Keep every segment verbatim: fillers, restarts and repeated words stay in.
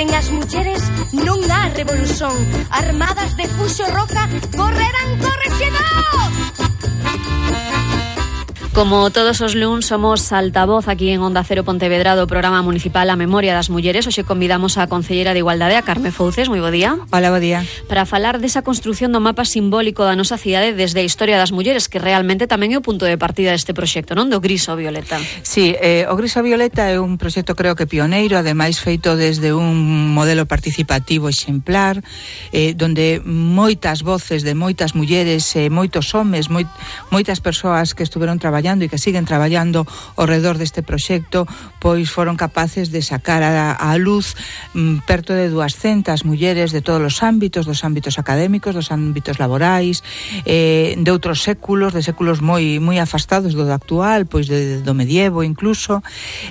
Sen as mulleres non há revolución. Armadas de fuxo roca, correrán correxedor! Como todos os luns, somos altavoz aquí en Onda Cero Pontevedra do programa municipal A Memoria das Mulleres. Hoxe convidamos a concelleira de Igualdade, a Carme Fouces. Moi bo día. Hola, bo día. Para falar desa construción do mapa simbólico da nosa cidade desde a historia das mulleres, que realmente tamén é o punto de partida deste proxecto, non? Do Gris ao Violeta. Sí, eh, o Gris ao Violeta é un proxecto creo que pioneiro, ademais feito desde un modelo participativo exemplar, eh, donde moitas voces de moitas mulleres, eh, moitos homes, moi, moitas persoas que estuveron traballando e que siguen traballando ao redor deste proxecto, pois foron capaces de sacar a, a luz mm, perto de duascentas mulleres de todos os ámbitos, dos ámbitos académicos, dos ámbitos laborais, eh, de outros séculos, de séculos moi moi afastados do actual, pois de, do medievo incluso,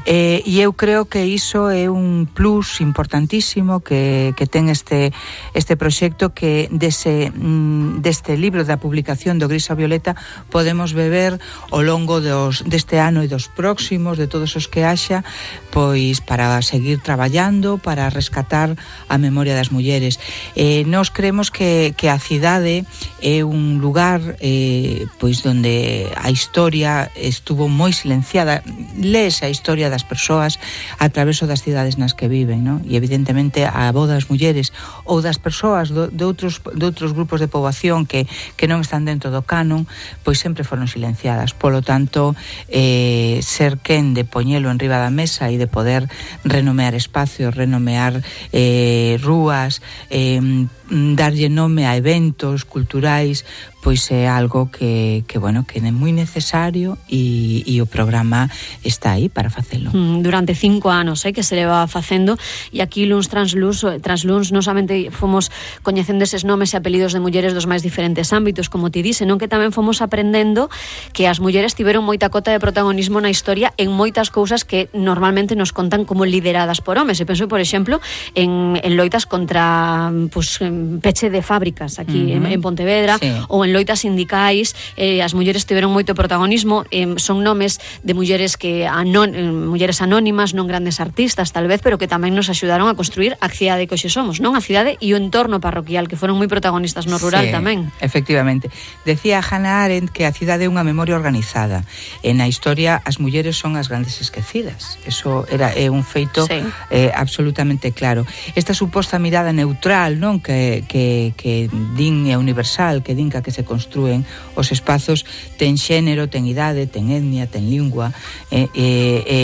eh, e eu creo que iso é un plus importantísimo que, que ten este este proxecto, que dese, mm, deste libro da publicación do Gris ao Violeta podemos beber ao longo Dos, deste ano e dos próximos, de todos os que haxa, pois para seguir traballando, para rescatar a memoria das mulleres. Eh, nós creemos que, que a cidade é un lugar eh, pois donde a historia estuvo moi silenciada. Lees a historia das persoas a través das cidades nas que viven, non? E evidentemente a voz das mulleres ou das persoas do, de, outros, de outros grupos de poboación que, que non están dentro do canon, pois sempre foron silenciadas. Polo tanto, tanto eh, ser quen de poñelo en riba da mesa e de poder renomear espacios, renomear eh, rúas, eh, darlle nome a eventos culturais, pois é algo que, que bueno, que é moi necesario e, e o programa está aí para facelo. Durante cinco anos eh, que se leva facendo, e aquí luns tras luns, tras luns non somente fomos coñecendo eses nomes e apelidos de mulleres dos máis diferentes ámbitos, como ti dice, non, que tamén fomos aprendendo que as mulleres tiveron moita cota de protagonismo na historia en moitas cousas que normalmente nos contan como lideradas por homes. E penso, por exemplo, en, en loitas contra pues, peche de fábricas aquí uh-huh. en, en Pontevedra, sí. ou en loitas sindicais, eh, as mulleres tiveron moito protagonismo, eh, son nomes de mulleres que anon, eh, mulleres anónimas, non grandes artistas tal vez, pero que tamén nos axudaron a construir a cidade que hoxe somos, non? A cidade e o entorno parroquial, que foron moi protagonistas no rural, sí, tamén. Efectivamente. Decía Hannah Arendt que a cidade é unha memoria organizada. En a historia as mulleres son as grandes esquecidas. Eso era é un feito, sí, eh, absolutamente claro. Esta suposta mirada neutral, non, que que que din é universal, que din que se construen os espazos, ten xénero, ten idade, ten etnia, ten lingua, e, e, e,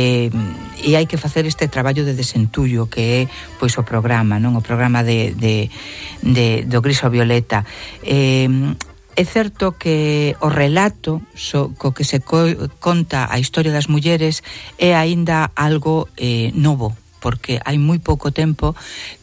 e hai que facer este traballo de desentullo que é pois o programa, non? O programa de, de, de do Gris ao Violeta. Eh, É certo que o relato so, co que se co, conta a historia das mulleres é aínda algo eh, novo, porque hai moi pouco tempo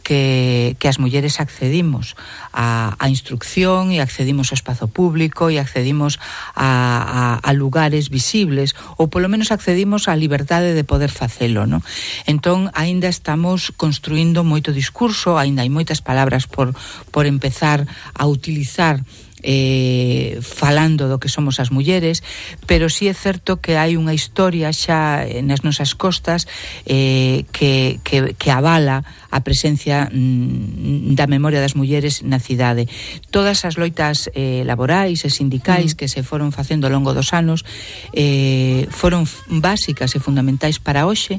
que, que as mulleres accedimos a, a instrucción e accedimos ao espazo público e accedimos a, a, a lugares visibles, ou polo menos accedimos á liberdade de poder facelo, non? Entón, aínda estamos construindo moito discurso, aínda hai moitas palabras por, por empezar a utilizar Eh, falando do que somos as mulleres, pero sí é certo que hai unha historia xa nas nosas costas eh, que, que, que avala a presencia mm, da memoria das mulleres na cidade. Todas as loitas eh, laborais e sindicais mm. que se foron facendo ao longo dos anos eh, foron básicas e fundamentais para hoxe.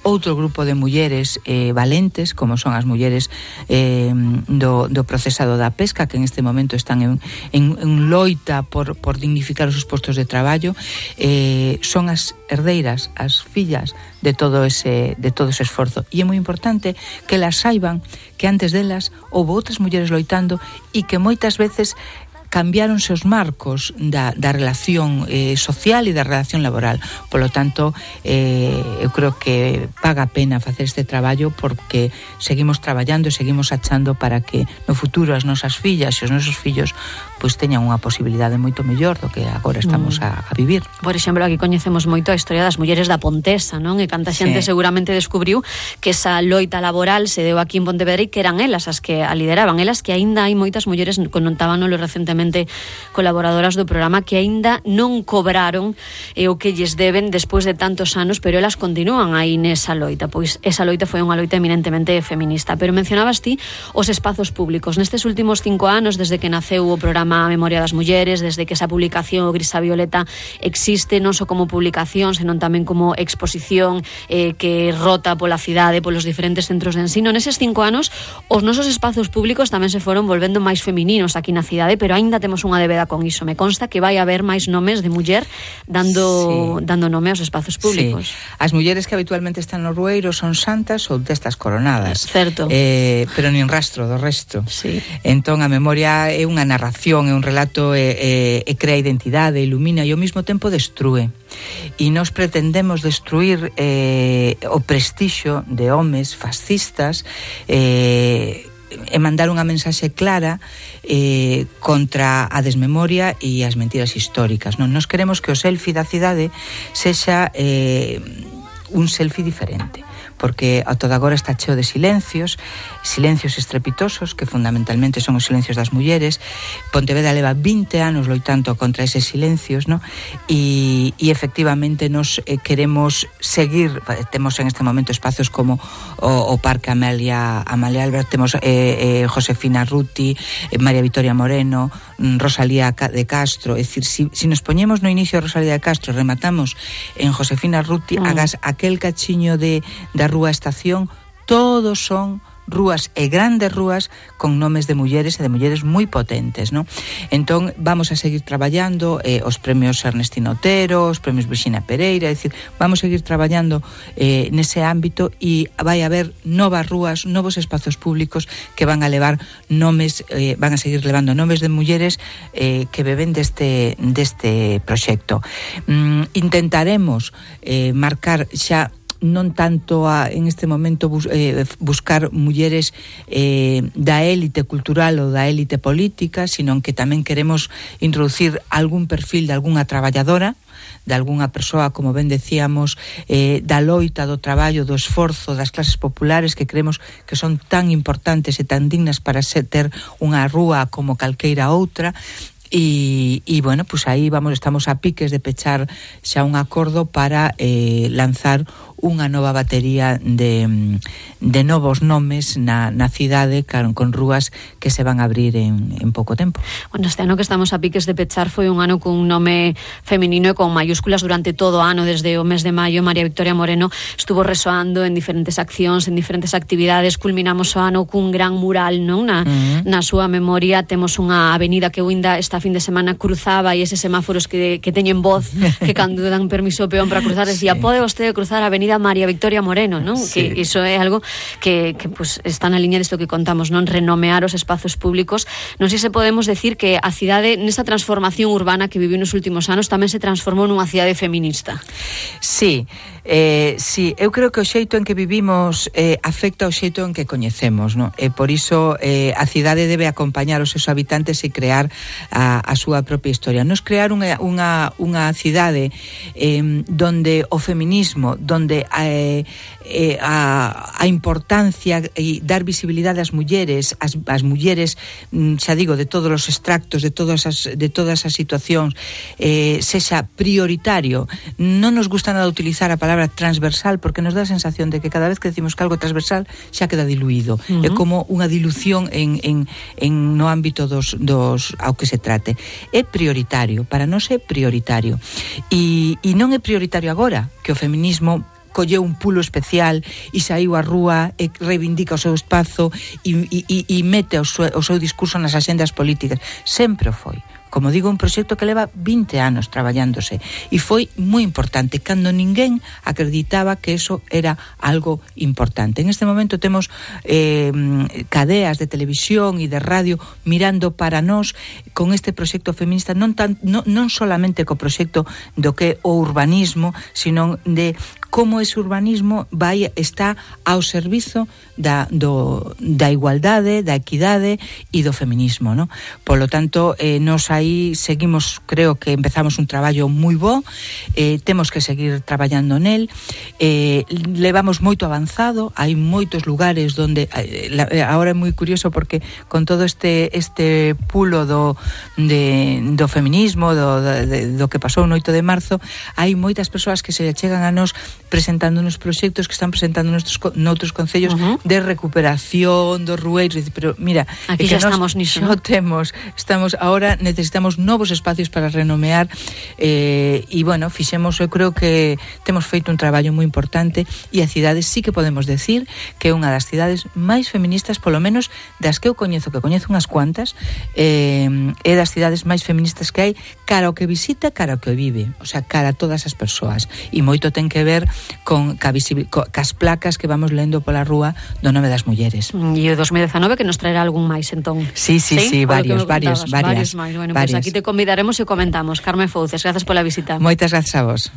Outro grupo de mulleres eh, valentes, como son as mulleres eh, do, do procesado da pesca, que en este momento están en, en, en loita por, por dignificar os seus postos de traballo, eh, son as herdeiras, as fillas de todo ese de todo ese esforzo. E é moi importante que las saiban que antes delas houve outras mulleres loitando e que moitas veces cambiáronse os marcos da, da relación eh, social e da relación laboral. Polo tanto, eh, eu creo que paga a pena facer este traballo, porque seguimos traballando e seguimos achando para que no futuro as nosas fillas e os nosos fillos pois teñan unha posibilidade moito mellor do que agora estamos a, a vivir. Por exemplo, aquí coñecemos moito a historia das mulleres da Pontesa, non? E canta xente sí. seguramente descubriu que esa loita laboral se deu aquí en Pontevedra e que eran elas as que a lideraban, elas que aínda hai moitas mulleres, contábano recentemente especialmente colaboradoras do programa que aínda non cobraron eh, o que lles deben despois de tantos anos, pero elas continúan aí nesa loita, pois esa loita foi unha loita eminentemente feminista. Pero mencionabas ti os espazos públicos. Nestes últimos cinco anos, desde que naceu o programa Memoria das Mulleres, desde que esa publicación, o Grisa Violeta, existe non só como publicación, senón tamén como exposición eh, que rota pola cidade, polos diferentes centros de ensino, neses cinco anos os nosos espazos públicos tamén se foron volvendo máis femininos aquí na cidade, pero aínda temos unha débeda con iso. Me consta que vai haber máis nomes de muller dando, sí. dando nome aos espazos públicos. Sí. As mulleres que habitualmente están no rueiro son santas ou destas coronadas. Certo. Eh, pero nin rastro do resto. Sí. Entón a memoria é unha narración, é un relato, e, e, e crea identidade, ilumina e ao mesmo tempo destrúe. E nós pretendemos destruir eh, o prestixio de homes fascistas eh, e mandar unha mensaxe clara eh, contra a desmemoria e as mentiras históricas. Non, nos queremos que o selfie da cidade sexa eh, un selfie diferente, porque a todo agora está cheo de silencios, silencios estrepitosos, que fundamentalmente son os silencios das mulleres. Pontevedra leva vinte anos loitando contra eses silencios, ¿no? E, e efectivamente nos eh, queremos seguir, temos en este momento espazos como o, o Parque Amelia, Amalia Albert, temos eh, eh, Josefina Ruti, eh, María Victoria Moreno, Rosalía de Castro. É dicir, si, si nos poñemos no inicio a Rosalía de Castro, rematamos en Josefina Ruti, mm. hagas aquel cachiño de da Rúa Estación, todos son rúas e grandes rúas con nomes de mulleres e de mulleres moi potentes, ¿no? Entón vamos a seguir traballando eh, os premios Ernestino Otero, os premios Virxinia Pereira, é dicir, vamos a seguir traballando eh, nese ámbito e vai haber novas rúas, novos espazos públicos que van a levar nomes, eh, van a seguir levando nomes de mulleres eh, que beben deste, deste proxecto. Mm, intentaremos eh, marcar xa non tanto a, en este momento bus, eh, buscar mulleres eh, da élite cultural ou da élite política, sino que tamén queremos introducir algún perfil de algunha traballadora, de algunha persoa, como ben decíamos, eh, da loita, do traballo, do esforzo das clases populares, que creemos que son tan importantes e tan dignas para ser, ter unha rúa como calqueira outra. E, e bueno, pues aí vamos, estamos a piques de pechar xa un acordo para eh, lanzar unha nova batería de, de novos nomes na, na cidade, con, con rúas que se van a abrir en, en pouco tempo. Bueno, este ano que estamos a piques de pechar foi un ano cun nome feminino e con mayúsculas durante todo o ano, desde o mes de maio. María Victoria Moreno estuvo resoando en diferentes accións, en diferentes actividades. Culminamos o ano cun gran mural, non? Na, uh-huh. na súa memoria temos unha avenida que ainda esta fin de semana cruzaba, e eses semáforos que, que teñen voz, que cando dan permiso ao peón para cruzar, decía, sí, pode vostede cruzar a avenida María Victoria Moreno, non? Sí. Que iso é algo que, que pues, está na liña disto que contamos, non? Renomear os espazos públicos. Non sei se podemos decir que a cidade, nesa transformación urbana que viviu nos últimos anos, tamén se transformou nunha cidade feminista. Sí, eh, sí, eu creo que o xeito en que vivimos eh, afecta o xeito en que coñecemos, non? E por iso eh, a cidade debe acompañar os seus habitantes e crear a, a súa propia historia. Nos crear unha, unha, unha cidade eh, donde o feminismo, donde eh, eh, a, a importancia e dar visibilidade ás mulleres, as, as mulleres, xa digo, de todos os extractos, de todas as, de todas as situacións, eh, sexa prioritario. Non nos gusta nada utilizar a palabra transversal, porque nos dá a sensación de que cada vez que decimos que algo transversal xa queda diluído. Uh-huh. É como unha dilución en, en, en no ámbito dos, dos ao que se trate. É prioritario, para nós é prioritario. E, e non é prioritario agora que o feminismo colleu un pulo especial e saiu á rúa e reivindica o seu espazo e, e, e mete o seu, o seu discurso nas axendas políticas. Sempre o foi. Como digo, un proxecto que leva vinte anos traballándose e foi moi importante cando ninguén acreditaba que eso era algo importante. En este momento temos eh, cadeas de televisión e de radio mirando para nós con este proxecto feminista, non, tan, non, non solamente co proxecto do que o urbanismo, sino de como ese urbanismo vai está ao servizo da, do, da igualdade, da equidade e do feminismo, ¿no? Por lo tanto, eh, nos aí aí seguimos, creo que empezamos un traballo moi bo, eh, temos que seguir traballando nel, eh, levamos moito avanzado, hai moitos lugares donde, eh, la, agora é moi curioso porque con todo este este pulo do, de, do feminismo, do, de, do que pasou no oito de marzo, hai moitas persoas que se chegan a nos presentando nos proxectos que están presentando noutros, noutros concellos uh-huh. de recuperación dos rueiros, pero mira, aquí é que xa estamos niso, non temos, estamos ahora necesitamos novos espacios para renomear eh, e bueno, fixemos, eu creo que temos feito un traballo moi importante e a cidade sí que podemos decir que é unha das cidades máis feministas, polo menos das que eu coñezo, que coñezo unhas cuantas, eh, é das cidades máis feministas que hai, cara ao que visita, cara ao que vive, o sea, cara a todas as persoas, e moito ten que ver con ca visibil, co, cas placas que vamos lendo pola rúa do nome das mulleres. E o dos mil dezanove que nos traerá algún máis, entón. Sí, sí, sí, sí varios, varios, varias. Varios máis. Bueno, varias. Pues aquí te convidaremos e comentamos. Carmen Fouces, gracias pola visita. Moitas gracias a vos.